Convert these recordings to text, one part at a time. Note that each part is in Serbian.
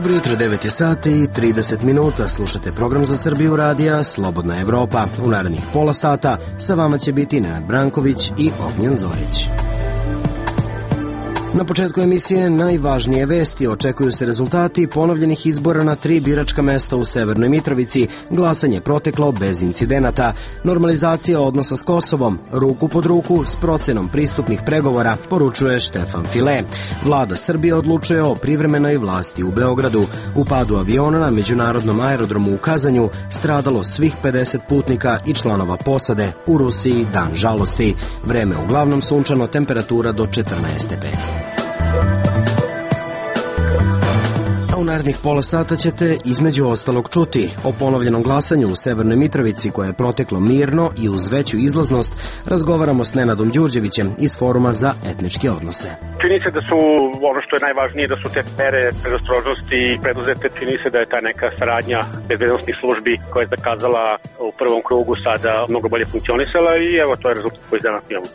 Dobro jutro, 9 sati i 30 minuta. Slušate program za Srbiju radija Slobodna Evropa. U narednih pola sata sa vama će biti Nenad Branković i Ognjen Zorić. Na početku emisije najvažnije vesti. Očekuju se rezultati ponovljenih izbora na 3 biračka mesta u Severnoj Mitrovici. Glasanje proteklo bez incidenata. Normalizacija odnosa s Kosovom. Ruku pod ruku s procenom pristupnih pregovora, poručuje Štefan File. Vlada Srbije odlučuje o privremenoj vlasti u Beogradu. U padu aviona na međunarodnom aerodromu u Kazanju stradalo svih 50 putnika i članova posade. U Rusiji dan žalosti. Vreme uglavnom sunčano, temperatura do 14 stepeni. U narednih pola sata ćete između ostalog čuti o ponovljenom glasanju u Severnoj Mitrovici koje je proteklo mirno i uz veću izlaznost. Razgovaramo s Nenadom Đurđevićem iz Foruma za etničke odnose. Čini se da su, ono što je najvažnije, da su te mere predostrožnosti preduzete. Čini se da je ta neka saradnja bezbednosnih službi koja je zakazala u prvom krugu sada mnogo bolje funkcionisala i evo to je rezultat koji danas imamo.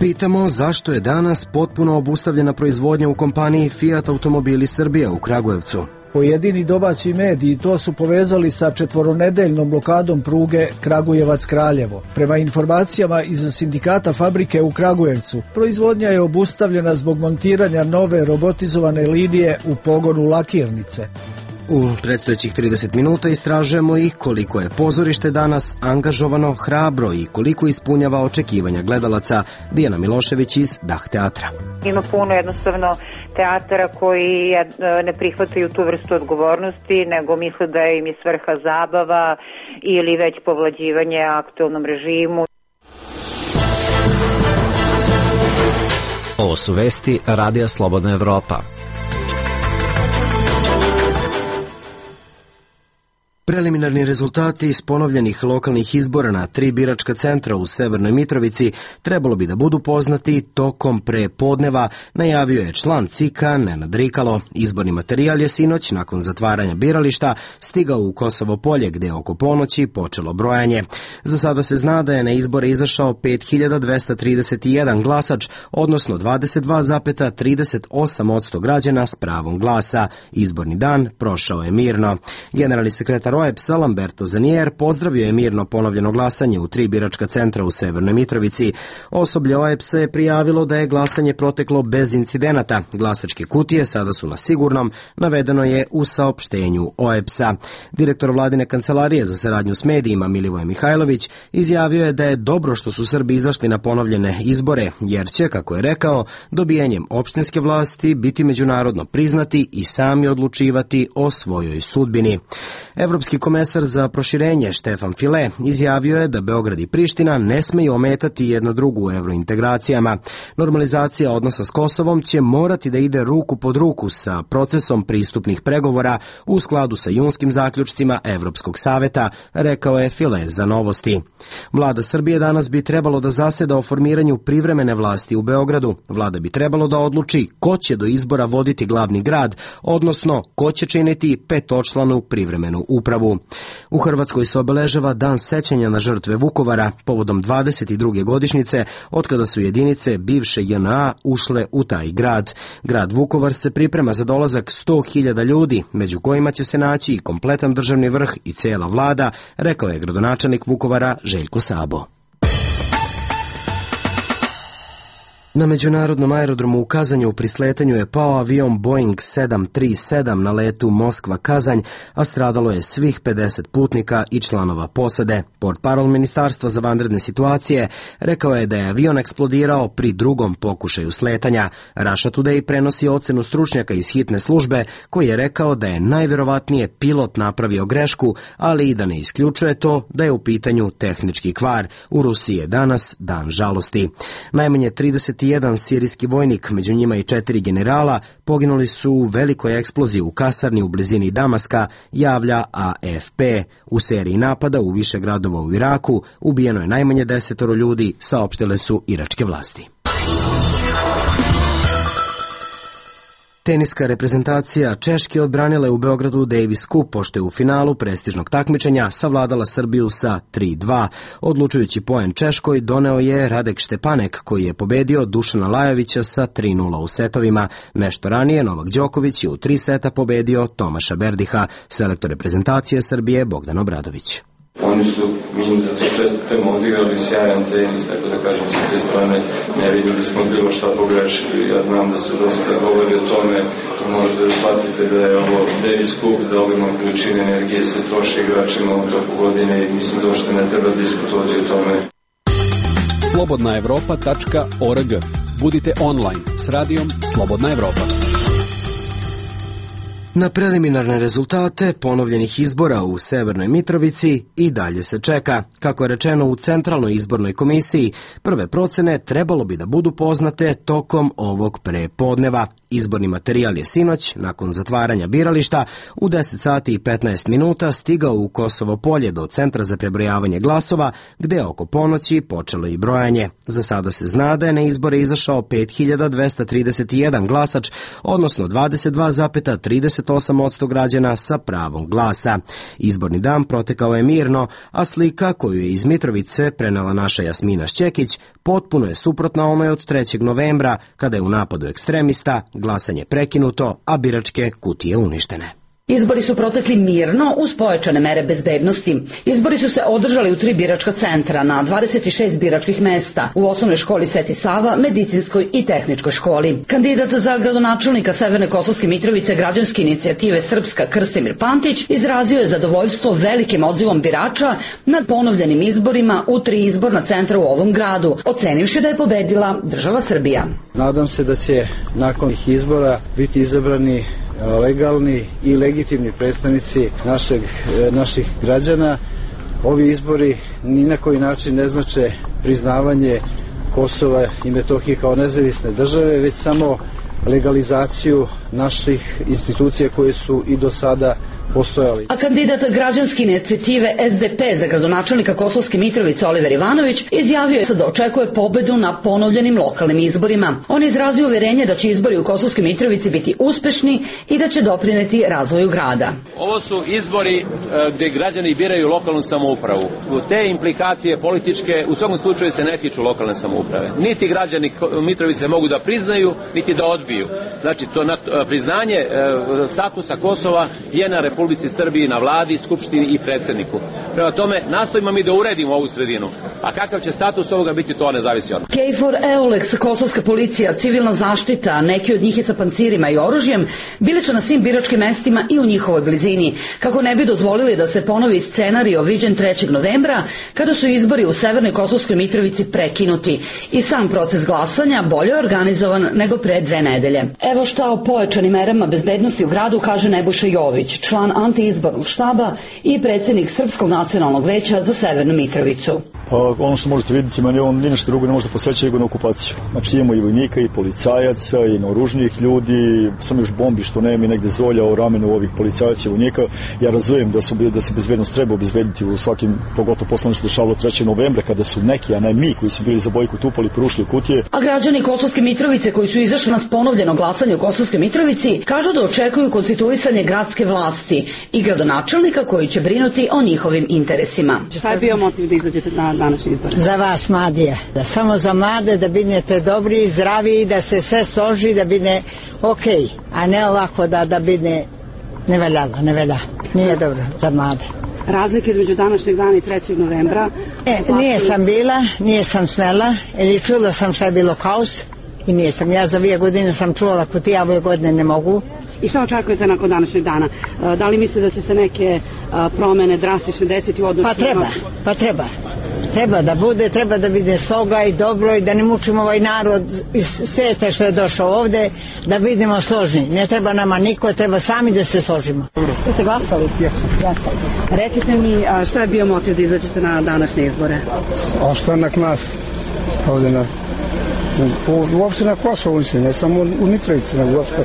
Pitamo zašto je danas potpuno obustavljena proizvodnja u kompaniji Fiat Automobili Srbija u Kragujevcu. Pojedini domaći mediji to su povezali sa 4-nedeljnom blokadom pruge Kragujevac-Kraljevo. Prema informacijama iz sindikata fabrike u Kragujevcu, proizvodnja je obustavljena zbog montiranja nove robotizovane linije u pogonu lakirnice. U predstojećih 30 minuta istražujemo i koliko je pozorište danas angažovano, hrabro i koliko ispunjava očekivanja gledalaca. Dijana Milošević iz Dah teatra. Ima puno jednostavno teatara koji ne prihvataju tu vrstu odgovornosti, nego misle da im je svrha zabava ili već povlađivanje aktualnom režimu. Ovo su vesti Radija Slobodna Evropa. Preliminarni rezultati iz ponovljenih lokalnih izbora na 3 biračka centra u Severnoj Mitrovici trebalo bi da budu poznati tokom prepodneva, najavio je član CIK-a Nenad Rikalo. Izborni materijal je sinoć, nakon zatvaranja birališta, stigao u Kosovo Polje, gde je oko ponoći počelo brojanje. Za sada se zna da je na izbore izašao 5231 glasač, odnosno 22,38% građana s pravom glasa. Izborni dan prošao je mirno. Generalni sekretar OEBS-a Lamberto Zanier pozdravio je mirno ponovljeno glasanje u 3 biračka centra u Severnoj Mitrovici. Osoblje OEBS-a je prijavilo da je glasanje proteklo bez incidenata. Glasačke kutije sada su na sigurnom, navedeno je u saopštenju OEBS-a. Direktor vladine kancelarije za saradnju s medijima Milivoje Mihajlović izjavio je da je dobro što su Srbi izašli na ponovljene izbore, jer će, kako je rekao, dobijanjem opštinske vlasti biti međunarodno priznati i sami odlučivati o svojoj sudbini. Evropski komesar za proširenje Štefan File izjavio je da Beograd i Priština ne smeju ometati jedna drugu u evrointegracijama. Normalizacija odnosa s Kosovom će morati da ide ruku pod ruku sa procesom pristupnih pregovora u skladu sa junskim zaključcima Evropskog saveta, rekao je File za Novosti. Vlada Srbije danas bi trebalo da zaseda o formiranju privremene vlasti u Beogradu. Vlada bi trebalo da odluči ko će do izbora voditi glavni grad, odnosno ko će činiti petočlanu privremenu upravu. U Hrvatskoj se obeležava Dan sećanja na žrtve Vukovara povodom 22. godišnjice od kada su jedinice bivše JNA ušle u taj grad. Grad Vukovar se priprema za dolazak 100.000 ljudi, među kojima će se naći i kompletan državni vrh i cela vlada, rekao je gradonačelnik Vukovara Željko Sabo. Na međunarodnom aerodromu u Kazanju pri sletanju je pao avion Boeing 737 na letu Moskva-Kazanj, a stradalo je svih 50 putnika i članova posade. Portparol Ministarstva za vanredne situacije rekao je da je avion eksplodirao pri drugom pokušaju sletanja. Russia Today prenosi ocenu stručnjaka iz hitne službe koji je rekao da je najverovatnije pilot napravio grešku, ali i da ne isključuje to da je u pitanju tehnički kvar. U Rusiji je danas dan žalosti. Najmanje 31 sirijski vojnik, među njima i 4 generala, poginuli su u velikoj eksploziji u kasarni u blizini Damaska, javlja AFP. U seriji napada u više gradova u Iraku ubijeno je najmanje 10 ljudi, saopštile su iračke vlasti. Teniska reprezentacija Češke odbranila je u Beogradu Davis Cup, pošto je u finalu prestižnog takmičenja savladala Srbiju sa 3:2. Odlučujući poen Češkoj doneo je Radek Štepanek, koji je pobedio Dušana Lajovića sa 3:0 u setovima. Nešto ranije Novak Đoković je u 3 seta pobedio Tomaša Berdiha. Selektor reprezentacije Srbije Bogdan Obradović. Oni su, mi za to čestitamo, odigrali sjajan tenis, tako da kažem, sa te strane ne vidjeli smo bilo šta pogrešili. Ja znam da se dosta govori o tome, možete da shvatite da je ovo Davis Cup, da obiman količine energije se troši igračima u toku godine i mislim da uopšte ne treba diskutovati o tome. slobodnaevropa.org. Budite online s radijom Slobodna Evropa. Na preliminarne rezultate ponovljenih izbora u Severnoj Mitrovici i dalje se čeka. Kako je rečeno u Centralnoj izbornoj komisiji, prve procene trebalo bi da budu poznate tokom ovog prepodneva. Izborni materijal je sinoć, nakon zatvaranja birališta, u 10 sati i 15 minuta stigao u Kosovo Polje do Centra za prebrojavanje glasova, gde je oko ponoći počelo i brojanje. Za sada se zna da je na izbore izašao 5231 glasač, odnosno 22,38% građana sa pravom glasa. Izborni dan protekao je mirno, a slika koju je iz Mitrovice prenela naša Jasmina Šćekić potpuno je suprotna onoj od 3. novembra, kada je u napadu ekstremista glasanje prekinuto, a biračke kutije uništene. Izbori su protekli mirno uz pojačane mere bezbednosti. Izbori su se održali u 3 biračka centra na 26 biračkih mesta, u osnovnoj školi Sveti Sava, medicinskoj i tehničkoj školi. Kandidat za gradonačelnika Severne Kosovske Mitrovice građanske inicijative Srpska Krstimir Pantić izrazio je zadovoljstvo velikim odzivom birača nad ponovljenim izborima u 3 izborna centra u ovom gradu, ocenivši da je pobedila država Srbija. Nadam se da će nakon izbora biti izabrani legalni i legitimni predstavnici naših građana. Ovi izbori ni na koji način ne znače priznavanje Kosova i Metohije kao nezavisne države, već samo legalizaciju naših institucija koje su i do sada postojali. A kandidat građanske inicijative SDP za gradonačelnika Kosovske Mitrovice Oliver Ivanović izjavio je da očekuje pobedu na ponovljenim lokalnim izborima. On je izrazio uverenje da će izbori u Kosovskoj Mitrovici biti uspešni i da će doprineti razvoju grada. Ovo su izbori gde građani biraju lokalnu samoupravu. Te implikacije političke u svakom slučaju se ne tiču lokalne samouprave. Niti građani Mitrovice mogu da priznaju, niti da odbiju. Znači, to priznanje statusa Kosova je na Republici Srbiji, na vladi, skupštini i predsedniku. Prema tome, nastojimo mi da uredimo ovu sredinu. A kakav će status ovoga biti, to ne zavisi od nas. KFOR, EULEX, kosovska policija, civilna zaštita, neki od njih je sa pancirima i oružjem, bili su na svim biračkim mestima i u njihovoj blizini, kako ne bi dozvolili da se ponovi scenario viđen 3. novembra, kada su izbori u Severnoj Kosovskoj Mitrovici prekinuti. I sam proces glasanja bolje organizovan nego pre 2 nedelje. Evo šta o pojačanim merama bezbednosti u gradu kaže Nebojša Jović, član antiizbornog štaba i predsjednik Srpskog nacionalnog veća za Severnu Mitrovicu. Pa ono što možete vidjeti, meni on ni nešto drugo ne može da posveća nego na okupaciju. Znači imamo i vojnika i policajaca i naoružnijih ljudi, samo još bombi što nema i negde zolja o ramenu ovih policajaca i vojnika. Ja razumijem da se bezbednost treba obezbediti u svakim, pogotovo posle se dešavalo 3. novembra kada su neki, a ne mi koji su bili za bojkot upali, porušili kutije. A građani Kosovske Mitrovice koji su izašli na ponovljeno glasanje u Kosovskoj Mitrovici kažu da očekuju konstituisanje gradske vlasti i gradonačelnika koji će brinuti o njihovim interesima. Šta je bio motiv da izađete na današnji izbor? Za vas, mladije. Samo za mlade, da binete dobri, zdravi, da se sve složi, da bine okej, a ne ovako da bine ne velja. Nije dobro za mlade. Razlike između današnjeg dana i 3. novembra? Nije sam smela, ili čula sam šta je bilo kaos i nisam. Ja za 2 godine sam čuvala kutija, ove godine ne mogu. I šta očekujete nakon današnjeg dana? Da li mislite da će se neke promene drastične desiti u odnosu? Pa treba. Treba da bude, treba da bude sloga i dobro i da ne mučimo ovaj narod iz sveta što je došao ovde, da vidimo složni. Ne treba nama niko, treba sami da se složimo. Ste glasali? Jesam. Recite mi šta je bio motiv da izađete na današnje izbore? Ostanak nas ovde uopšte na Kosovu, ne samo u Mitrovici, nego uopšte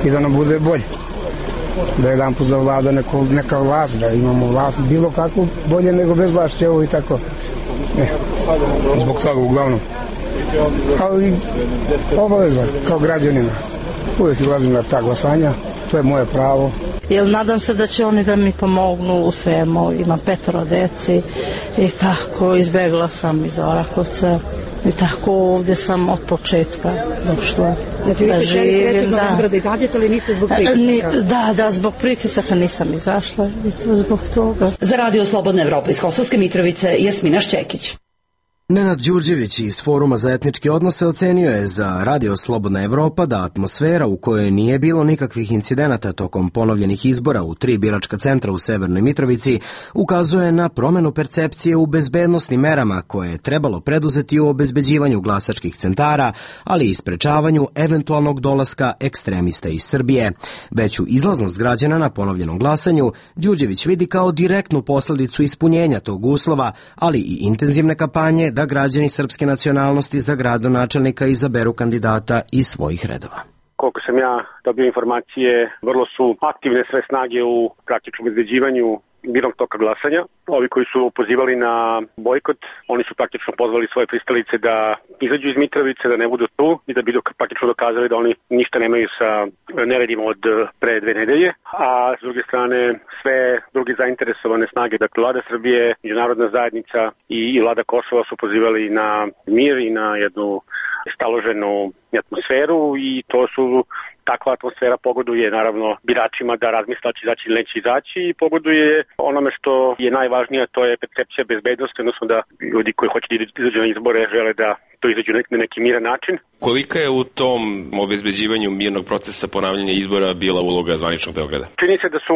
i da nam bude bolje. Da jedan put zavlada neka vlast, da imamo vlast bilo kako bolje nego bez vlasti, evo i tako. Zbog toga uglavnom. Kao i obaveza, kao građanina. uvijek izlazim na ta glasanja, to je moje pravo. Jer nadam se da će oni da mi pomognu u svemu, imam 5 deci i tako, izbegla sam iz Orahovca i tako ovdje sam od početka došla da živim. Da, zbog pritisaka nisam izašla i zbog toga. Za Radio Slobodna Evropa iz Kosovske Mitrovice, Jasmina Šćekić. Nenad Đurđević iz Foruma za etničke odnose ocenio je za Radio Slobodna Evropa da atmosfera u kojoj nije bilo nikakvih incidenata tokom ponovljenih izbora u 3 biračka centra u Severnoj Mitrovici ukazuje na promenu percepcije u bezbednosnim merama koje je trebalo preduzeti u obezbeđivanju glasačkih centara, ali i sprečavanju eventualnog dolaska ekstremista iz Srbije. Veću izlaznost građana na ponovljenom glasanju Đurđević vidi kao direktnu posledicu ispunjenja tog uslova, ali i intenzivne kampanje da građani srpske nacionalnosti za gradonačelnika izaberu kandidata iz svojih redova. Koliko sam ja dobio informacije, vrlo su aktivne sve snage u praktičnom obezbeđivanju mirnog toka glasanja. Ovi koji su pozivali na bojkot, oni su praktično pozvali svoje pristalice da izađu iz Mitrovice, da ne budu tu i da bi praktično dokazali da oni ništa nemaju sa neredima od pre 2 nedelje. A s druge strane, sve druge zainteresovane snage, dakle Vlada Srbije, međunarodna zajednica i Vlada Kosova su pozivali na mir i na jednu staloženu atmosferu i to su takva atmosfera pogoduje naravno biračima da razmisle će izaći ili neće izaći i pogoduje onome što je najvažnije, to je percepcija bezbednosti, odnosno da ljudi koji hoće da izađu na izbore žele da to izađu na neki miran način. Kolika je u tom obezbeđivanju mirnog procesa ponavljanja izbora bila uloga zvaničnog Beograda? Čini se da su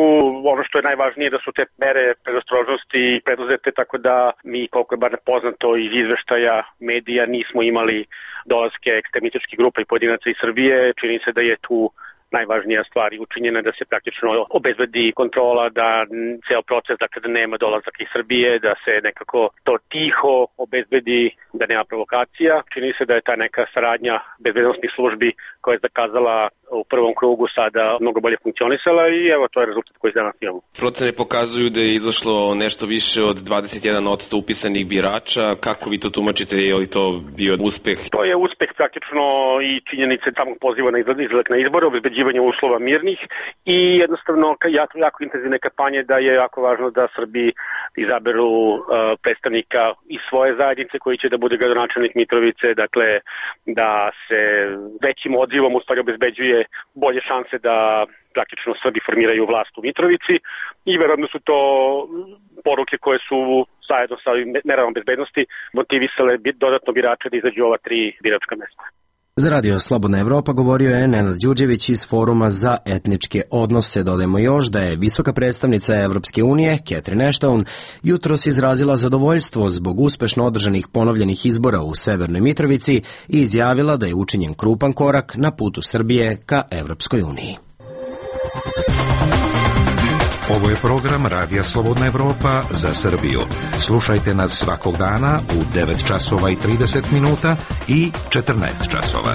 ono što je najvažnije da su te mere predostrožnosti preduzete tako da mi, koliko je bar poznato iz izveštaja medija, nismo imali dolaske ekstremističkih grupa i pojedinaca iz Srbije. Čini se da je tu najvažnija stvar učinjena da se praktično obezbedi kontrola, da ceo proces, dakle da nema dolazaka iz Srbije, da se nekako to tiho obezbedi, da nema provokacija. Čini se da je ta neka saradnja bezbednosnih službi koja je zakazala u prvom krugu sada mnogo bolje funkcionisala i evo to je rezultat koji danas imamo. Procene pokazuju da je izašlo nešto više od 21% upisanih birača. Kako vi to tumačite? Je li to bio uspeh? To je uspeh praktično i činjenice samog poziva na izlazak na izbore, obezbeđivanje uslova mirnih i jednostavno jako intenzivne kampanje da je jako važno da Srbi izaberu predstavnika iz svoje zajednice koji će da bude gradonačelnik Mitrovice, dakle da se većim odzivom u stvari obezbeđuje bolje šanse da praktično Srbi formiraju vlast u Mitrovici i verovatno su to poruke koje su zajedno sa merama bezbednosti motivisale dodatno birače da izađu ova 3 biračka mesta. Za Radio Slobodna Evropa govorio je Nenad Đurđević iz Foruma za etničke odnose. Dodajmo još da je visoka predstavnica Evropske unije, Catherine Ashton, jutros izrazila zadovoljstvo zbog uspešno održanih ponovljenih izbora u Severnoj Mitrovici i izjavila da je učinjen krupan korak na putu Srbije ka Evropskoj uniji. Ovo je program Radija Slobodna Evropa za Srbiju. Slušajte nas svakog dana u 9 časova i 30 minuta i 14 časova.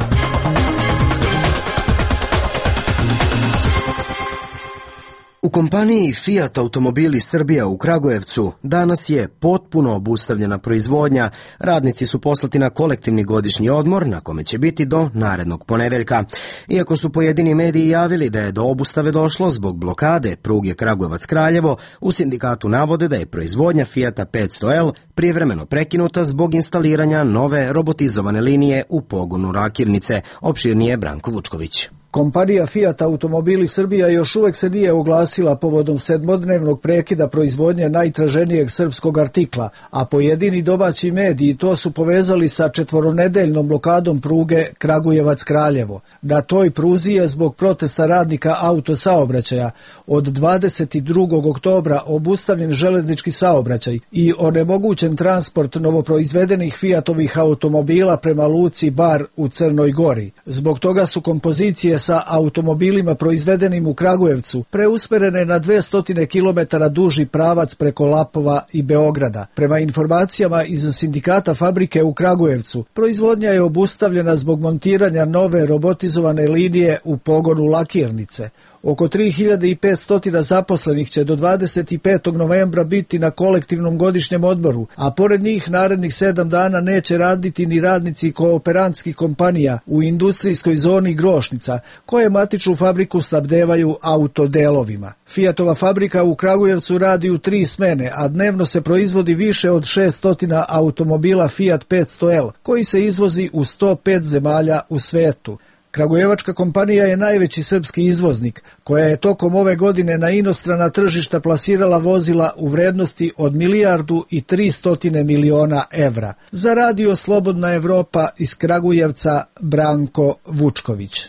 U kompaniji Fiat Automobili Srbija u Kragujevcu danas je potpuno obustavljena proizvodnja. Radnici su poslati na kolektivni godišnji odmor na kome će biti do narednog ponedeljka. Iako su pojedini mediji javili da je do obustave došlo zbog blokade pruge Kragujevac-Kraljevo, u sindikatu navode da je proizvodnja Fiata 500L privremeno prekinuta zbog instaliranja nove robotizovane linije u pogonu Rakirnice. Opširnije Branko Vučković. Kompanija Fiat Automobili Srbija još uvek se nije oglasila povodom 7-dnevnog prekida proizvodnje najtraženijeg srpskog artikla, a pojedini domaći mediji to su povezali sa 4-nedeljnom blokadom pruge Kragujevac-Kraljevo. Na toj pruzi je zbog protesta radnika autosaobraćaja od 22. oktobra obustavljen železnički saobraćaj i onemogućen transport novoproizvedenih Fiatovih automobila prema luci Bar u Crnoj Gori. Zbog toga su kompozicije sa automobilima proizvedenim u Kragujevcu preusmerene na 200 km duži pravac preko Lapova i Beograda. Prema informacijama iz sindikata fabrike u Kragujevcu, proizvodnja je obustavljena zbog montiranja nove robotizovane linije u pogonu Lakirnice. Oko 3500 zaposlenih će do 25. novembra biti na kolektivnom godišnjem odmoru, a pored njih narednih 7 dana neće raditi ni radnici kooperantskih kompanija u industrijskoj zoni Grošnica, koje matičnu fabriku snabdevaju autodelovima. Fiatova fabrika u Kragujevcu radi u 3 smene, a dnevno se proizvodi više od 600 automobila Fiat 500L, koji se izvozi u 105 zemalja u svetu. Kragujevačka kompanija je najveći srpski izvoznik, koja je tokom ove godine na inostrana tržišta plasirala vozila u vrednosti od 1.3 milijardi evra. Za Radio Slobodna Evropa iz Kragujevca Branko Vučković.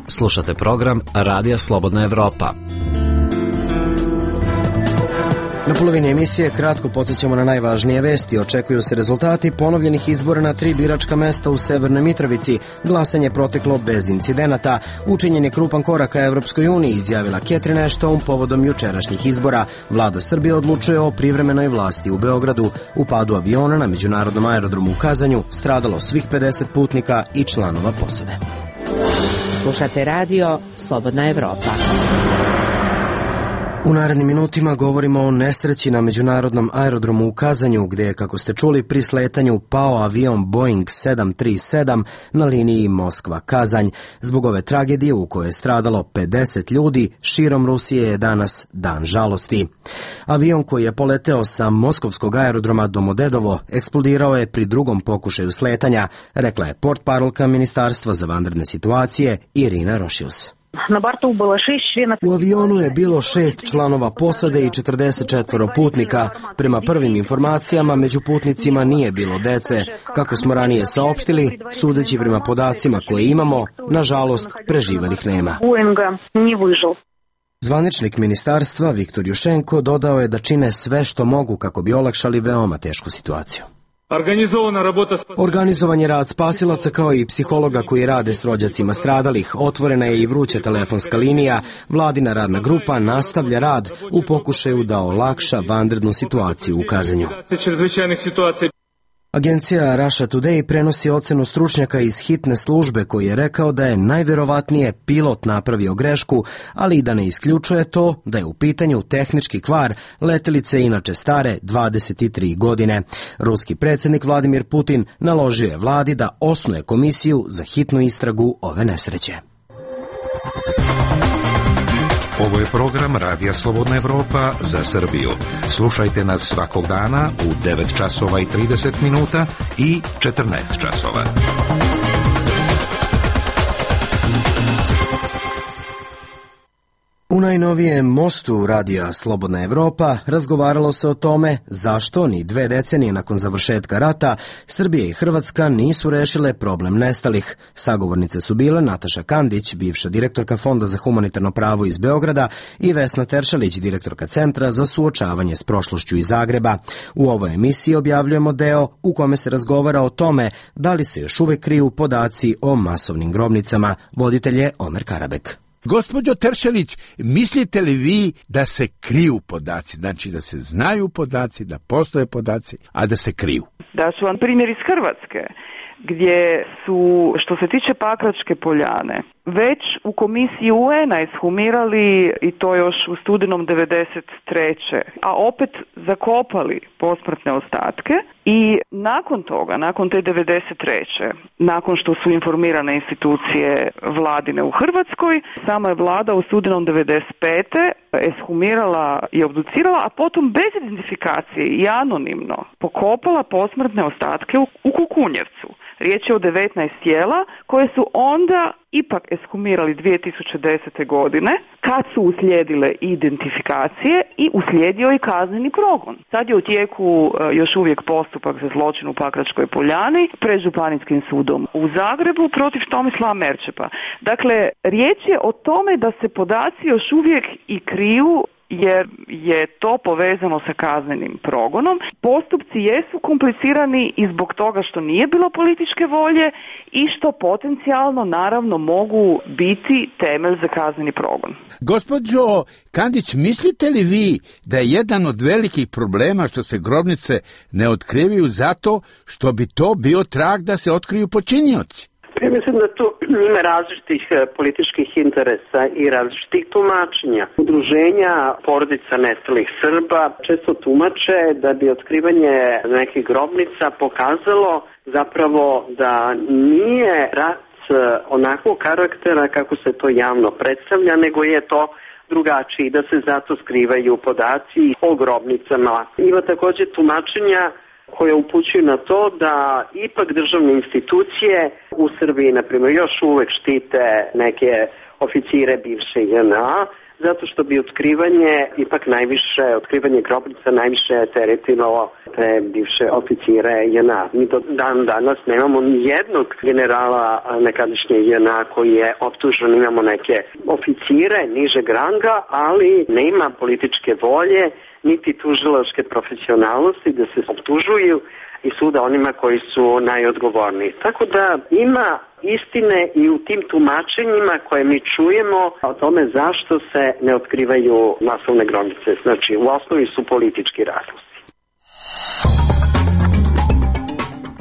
Slušate program Radija Slobodna Evropa. Na polovini emisije kratko podsjećamo na najvažnije vesti. Očekuju se rezultati ponovljenih izbora na 3 biračka mesta u Severnoj Mitrovici. Glasanje proteklo bez incidenata. Učinjen je krupan korak ka Evropskoj uniji, izjavila Catherine Ashton povodom jučerašnjih izbora. Vlada Srbije odlučuje o privremenoj vlasti u Beogradu. U padu aviona na međunarodnom aerodromu u Kazanju stradalo svih 50 putnika i članova posade. Slušate radio Slobodna Evropa. U narednim minutima govorimo o nesreći na međunarodnom aerodromu u Kazanju, gde je, kako ste čuli, pri sletanju pao avion Boeing 737 na liniji Moskva-Kazanj. Zbog ove tragedije u kojoj je stradalo 50 ljudi, širom Rusije je danas dan žalosti. Avion koji je poleteo sa moskovskog aerodroma Domodedovo eksplodirao je pri drugom pokušaju sletanja, rekla je portparolka Ministarstva za vanredne situacije Irina Rošius. U avionu je bilo 6 članova posade i 44 putnika. Prema prvim informacijama, među putnicima nije bilo dece. Kako smo ranije saopštili, sudeći prema podacima koje imamo, nažalost, preživelih nema. Zvaničnik ministarstva Viktor Jušenko dodao je da čine sve što mogu kako bi olakšali veoma tešku situaciju. Organizovan je rad spasilaca kao i psihologa koji rade s rođacima stradalih. Otvorena je i vruća telefonska linija. Vladina radna grupa nastavlja rad u pokušaju da olakša vanrednu situaciju u Kazanju. Agencija Russia Today prenosi ocenu stručnjaka iz hitne službe koji je rekao da je najverovatnije pilot napravio grešku, ali i da ne isključuje to da je u pitanju tehnički kvar letelice inače stare 23 godine. Ruski predsjednik Vladimir Putin naložio je vladi da osnuje komisiju za hitnu istragu ove nesreće. Ovo je program Radija Slobodna Evropa za Srbiju. Slušajte nas svakog dana u 9 časova i 30 minuta i 14 časova. U najnovijem mostu Radija Slobodna Evropa razgovaralo se o tome zašto ni 2 decenije nakon završetka rata Srbija i Hrvatska nisu rešile problem nestalih. Sagovornice su bile Nataša Kandić, bivša direktorka Fonda za humanitarno pravo iz Beograda, i Vesna Teršalić, direktorka Centra za suočavanje s prošlošću iz Zagreba. U ovoj emisiji objavljujemo deo u kome se razgovara o tome da li se još uvek kriju podaci o masovnim grobnicama. Voditelj je Omer Karabek. Gospođo Teršelić, mislite li vi da se kriju podaci, znači da se znaju podaci, da postoje podaci, a da se kriju? Da ću vam primjer iz Hrvatske, gdje su, što se tiče Pakračke poljane, već u komisiji UN-a ishumirali, i to još u studenom 93. a opet zakopali posmrtne ostatke, i nakon toga, nakon te 93. nakon što su informirane institucije vladine u Hrvatskoj, sama je vlada u studenom 95. eshumirala i obducirala, a potom bez identifikacije i anonimno pokopala posmrtne ostatke u Kukunjevcu. Riječ je o 19 tijela koje su onda ipak eshumirali 2010. godine, kad su uslijedile identifikacije i uslijedio i kazneni progon. Sad je u tijeku još uvijek postupak za zločin u Pakračkoj poljani pred Županijskim sudom u Zagrebu protiv Tomislava Merčepa. Dakle, riječ je o tome da se podaci još uvijek i kriju, jer je to povezano sa kaznenim progonom. Postupci jesu komplicirani i zbog toga što nije bilo političke volje i što potencijalno naravno mogu biti temelj za kazneni progon. Gospođo Kandić, mislite li vi da je jedan od velikih problema što se grobnice ne otkrivaju zato što bi to bio trag da se otkriju počinioci? Ja mislim da tu ima različitih političkih interesa i različitih tumačenja. Udruženja porodica nestalih Srba često tumače da bi otkrivanje nekih grobnica pokazalo zapravo da nije rat onakvog karaktera kako se to javno predstavlja, nego je to drugačiji, da se zato skrivaju podaci o grobnicama. Ima takođe tumačenja koje upućuju na to da ipak državne institucije u Srbiji, na primjer, još uvek štite neke oficire bivše JNA, zato što bi otkrivanje grobnica najviše teretiralo te bivše oficire JNA. Mi do dan danas nemamo ni jednog generala nekadašnje JNA koji je optužen, imamo neke oficire nižeg ranga, ali nema političke volje niti tužilačke profesionalnosti da se optužuju i suda onima koji su najodgovorniji. Tako da ima istine i u tim tumačenjima koje mi čujemo o tome zašto se ne otkrivaju masovne grobnice. Znači, u osnovi su politički razlozi.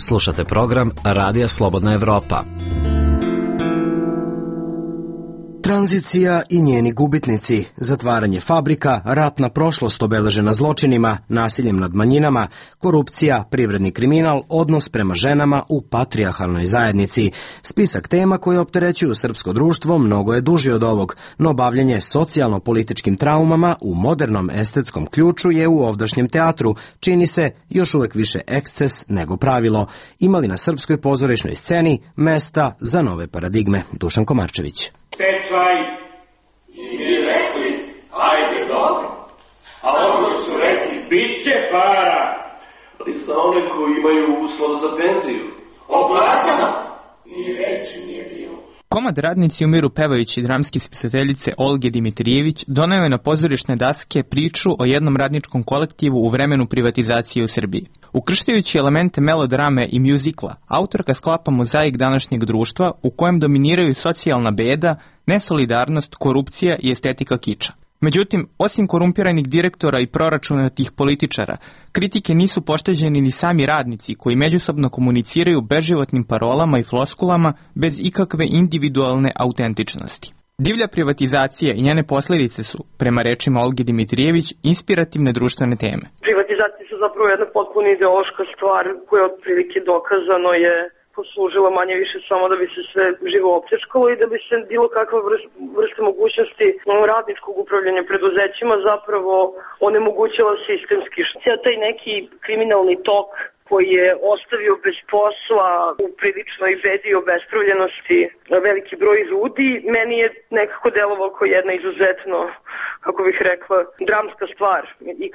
Slušate program Radija Slobodna Evropa. Tranzicija i njeni gubitnici, zatvaranje fabrika, ratna prošlost obeležena zločinima, nasiljem nad manjinama, korupcija, privredni kriminal, odnos prema ženama u patrijarhalnoj zajednici. Spisak tema koje opterećuju srpsko društvo mnogo je duži od ovog, no bavljenje socijalno-političkim traumama u modernom estetskom ključu je u ovdašnjem teatru, čini se, još uvek više eksces nego pravilo. Imali na srpskoj pozorišnoj sceni mesta za nove paradigme. Dušan Komarčević. Stečaj i mi rekli, ajde dobro, a ono su rekli, bit će para. Ali za one koji imaju uslov za penziju. O platama ni reči nije bilo. Komad Radnici umiru pevajući dramske spisateljice Olge Dimitrijević doneo je na pozorišne daske priču o jednom radničkom kolektivu u vremenu privatizacije u Srbiji. Ukrštajući elemente melodrame i mjuzikla, autorka sklapa mozaik današnjeg društva u kojem dominiraju socijalna beda, nesolidarnost, korupcija i estetika kiča. Međutim, osim korumpiranih direktora i proračunatih političara, kritike nisu pošteđeni ni sami radnici koji međusobno komuniciraju beživotnim parolama i floskulama bez ikakve individualne autentičnosti. Divlja privatizacija i njene posljedice su, prema rečima Olge Dimitrijević, inspirativne društvene teme. Privatizacije su zapravo jedna potpuno ideološka stvar koja otprilike dokazano je poslužila manje više samo da bi se sve živo općečkalo i da bi se bilo kakva vrsta mogućnosti radničkog upravljanja preduzećima zapravo onemogućila sistemski. Taj neki kriminalni tok koji je ostavio bez posla u priličnoj bedi i obespravljenosti veliki broj ljudi, meni je nekako delovao kao jedna izuzetno, kako bih rekla, dramska stvar i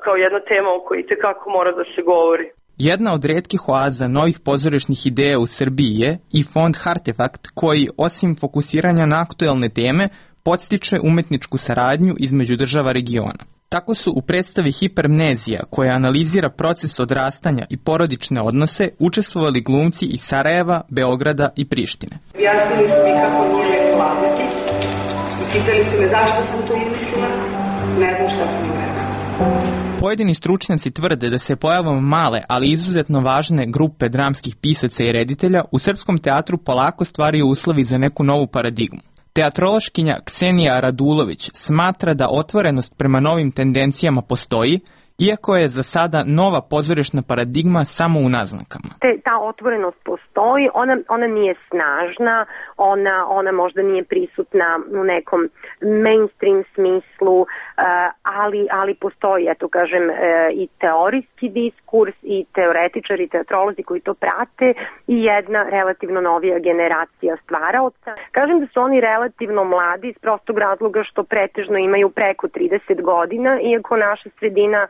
kao jedna tema o kojoj itekako mora da se govori. Jedna od retkih oaza novih pozorišnih ideja u Srbiji je i fond Hartefakt koji, osim fokusiranja na aktuelne teme, podstiče umetničku saradnju između država regiona. Tako su u predstavi Hipermnezija, koja analizira proces odrastanja i porodične odnose, učestvovali glumci iz Sarajeva, Beograda i Prištine. Objasnili su mi kako nije lepo lagati i pitali su me zašto sam to izmislila, ne znam šta sam im rekla. Pojedini stručnjaci tvrde da se pojavom male, ali izuzetno važne grupe dramskih pisaca i reditelja u srpskom teatru polako stvaraju uslovi za neku novu paradigmu. Teatrološkinja Ksenija Radulović smatra da otvorenost prema novim tendencijama postoji, iako je za sada nova pozorišna paradigma samo u naznakama. Ta otvorenost postoji, ona nije snažna, ona možda nije prisutna u nekom mainstream smislu, ali postoji, i teorijski diskurs i teoretičari i teatrolozi koji to prate i jedna relativno novija generacija stvaraoca. Kažem da su oni relativno mladi iz prostog razloga što pretežno imaju preko 30 godina, iako naša sredina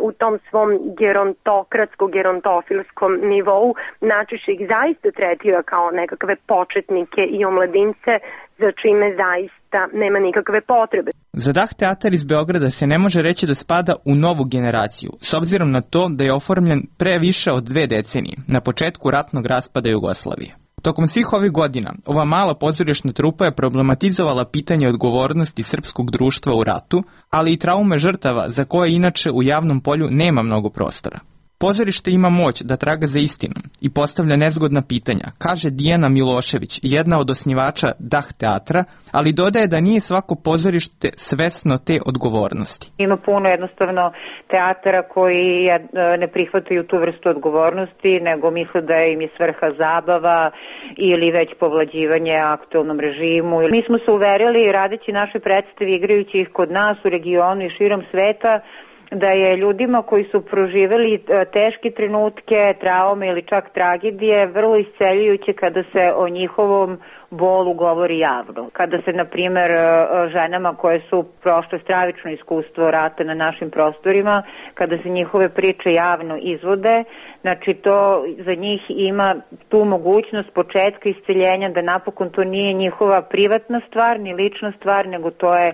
u tom svom gerontofilskom nivou najčešće ih zaista tretira kao nekakve početnike i omladince za čime zaista nema nikakve potrebe. Za Dah teatar iz Beograda se ne može reći da spada u novu generaciju, s obzirom na to da je oformljen pre više od 2 decenije, na početku ratnog raspada Jugoslavije. Tokom svih ovih godina, ova mala pozorišna trupa je problematizovala pitanje odgovornosti srpskog društva u ratu, ali i traume žrtava za koje inače u javnom polju nema mnogo prostora. Pozorište ima moć da traga za istinom i postavlja nezgodna pitanja, kaže Dijana Milošević, jedna od osnivača Dah teatra, ali dodaje da nije svako pozorište svesno te odgovornosti. Ima puno jednostavno teatara koji ne prihvataju tu vrstu odgovornosti, nego misle da im je svrha zabava ili već povlađivanje aktualnom režimu. Mi smo se uverili, radeći naše predstave, igrajući ih kod nas u regionu i širom sveta, da je ljudima koji su proživeli teške trenutke, traume ili čak tragedije vrlo isceljujuće kada se o njihovom bolu govori javno. Kada se, na primjer, ženama koje su prošle stravično iskustvo rata na našim prostorima, kada se njihove priče javno izvode, znači to za njih ima tu mogućnost početka isceljenja, da napokon to nije njihova privatna stvar, ni lična stvar, nego to je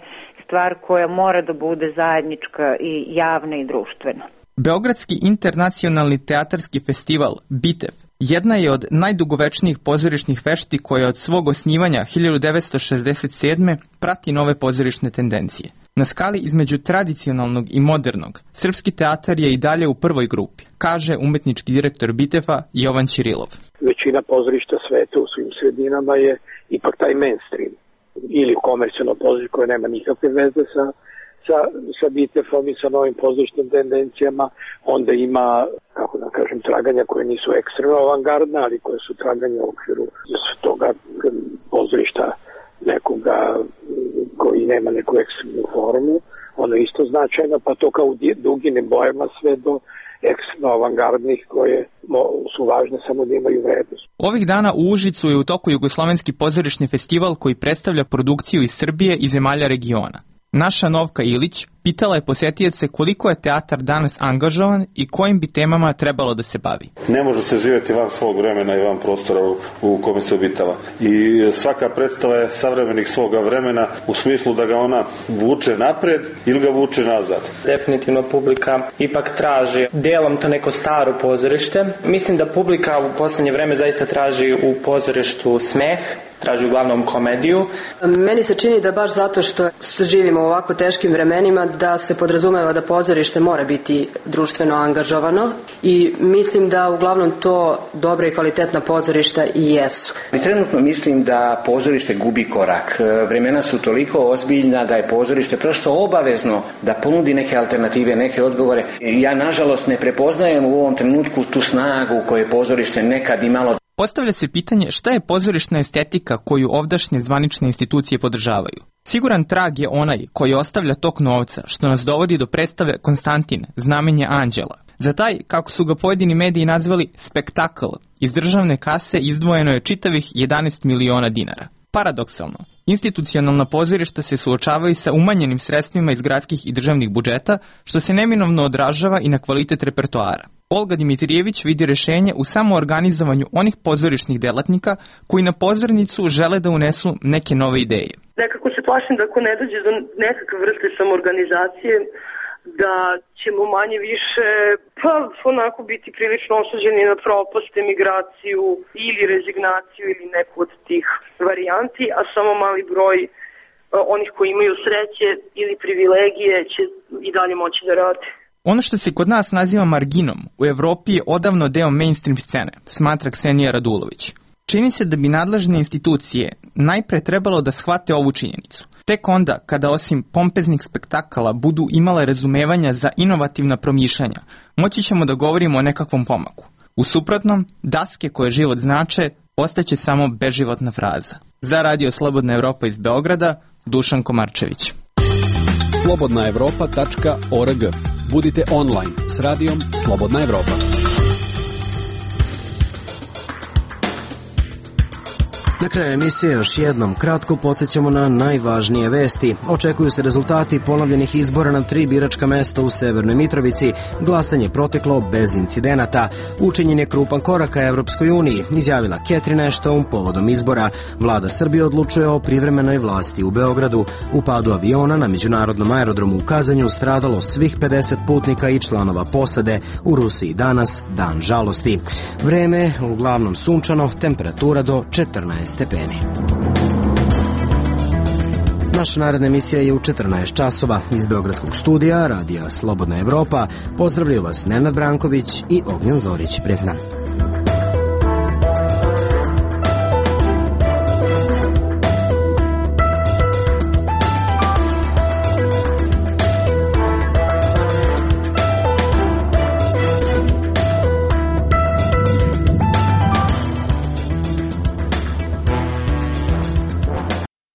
stvar koja mora da bude zajednička i javna i društvena. Beogradski internacionalni teatarski festival BITEF jedna je od najdugovečnijih pozorišnih vešti koja od svog osnivanja 1967. prati nove pozorišne tendencije. Na skali između tradicionalnog i modernog, srpski teatar je i dalje u prvoj grupi, kaže umetnički direktor BITEF-a Jovan Ćirilov. Većina pozorišta sveta u svim sredinama je ipak taj mainstream ili komercijalno pozorište koje nema nikakve veze sa BITEF-om i sa novim pozorišnim tendencijama. Onda ima, kako da kažem, traganja koje nisu ekstremno avangardne, ali koje su traganja u okviru toga pozorišta nekoga koji nema neku ekstremnu formu. Ono isto značajno, pa to kao u duginim bojama sve do ekstremno avangardnih koje su važne samo da imaju vrednost. Ovih dana u Užicu je u toku Jugoslovenski pozorišni festival koji predstavlja produkciju iz Srbije i zemalja regiona. Naša Novka Ilić pitala je posjetioce koliko je teatar danas angažovan i kojim bi temama trebalo da se bavi. Ne može se živjeti van svog vremena i van prostora u kome se obitava. I svaka predstava je savremenih svoga vremena u smislu da ga ona vuče napred ili ga vuče nazad. Definitivno publika ipak traži delom to neko staro pozorište. Mislim da publika u poslednje vreme zaista traži u pozorištu smeh, traži uglavnom komediju. Meni se čini da baš zato što živimo u ovako teškim vremenima da se podrazumeva da pozorište mora biti društveno angažovano i mislim da uglavnom to dobra i kvalitetna pozorišta i jesu. Trenutno mislim da pozorište gubi korak. Vremena su toliko ozbiljna da je pozorište prosto obavezno da ponudi neke alternative, neke odgovore. Ja nažalost ne prepoznajem u ovom trenutku tu snagu koju je pozorište nekad imalo. Postavlja se pitanje šta je pozorišna estetika koju ovdašnje zvanične institucije podržavaju. Siguran trag je onaj koji ostavlja tok novca, što nas dovodi do predstave Konstantin, znamenje anđela. Za taj, kako su ga pojedini mediji nazvali, spektakl, iz državne kase izdvojeno je čitavih 11 miliona dinara. Paradoksalno, institucionalna pozorišta se suočavaju sa umanjenim sredstvima iz gradskih i državnih budžeta, što se neminovno odražava i na kvalitet repertoara. Olga Dimitrijević vidi rešenje u samoorganizovanju onih pozorišnih delatnika koji na pozornicu žele da unesu neke nove ideje. Nekako se plašim da ako ne dođe do nekakve vrste samoorganizacije, da ćemo manje više onako biti prilično osuđeni na propast, emigraciju ili rezignaciju ili neku od tih varijanti, a samo mali broj onih koji imaju sreće ili privilegije će i dalje moći da rade. Ono što se kod nas naziva marginom, u Evropi je odavno deo mainstream scene, smatra Ksenija Radulović. Čini se da bi nadležne institucije najpre trebalo da shvate ovu činjenicu. Tek onda, kada osim pompeznih spektakala budu imale razumevanja za inovativna promišljanja, moći ćemo da govorimo o nekakvom pomaku. U suprotnom, daske koje život znače, ostaće samo beživotna fraza. Za Radio Slobodna Evropa iz Beograda, Dušan Komarčević. slobodnaevropa.org. Budite online s radijom Slobodna Evropa. Na kraju emisije još jednom kratko podsjećamo na najvažnije vesti. Očekuju se rezultati ponovljenih izbora na 3 biračka mesta u Severnoj Mitrovici. Glasanje proteklo bez incidenata. Učinjen je krupan korak ka Evropskoj uniji, izjavila Catherine Ashton povodom izbora. Vlada Srbije odlučuje o privremenoj vlasti u Beogradu. U padu aviona na međunarodnom aerodromu u Kazanju stradalo svih 50 putnika i članova posade. U Rusiji danas dan žalosti. Vreme uglavnom sunčano, temperatura do 14 stepeni. Naša naredna emisija je u 14 časova. Iz Beogradskog studija Radija Slobodna Evropa pozdravljaju vas Nenad Branković i Ognjen Zorić. Prijatno.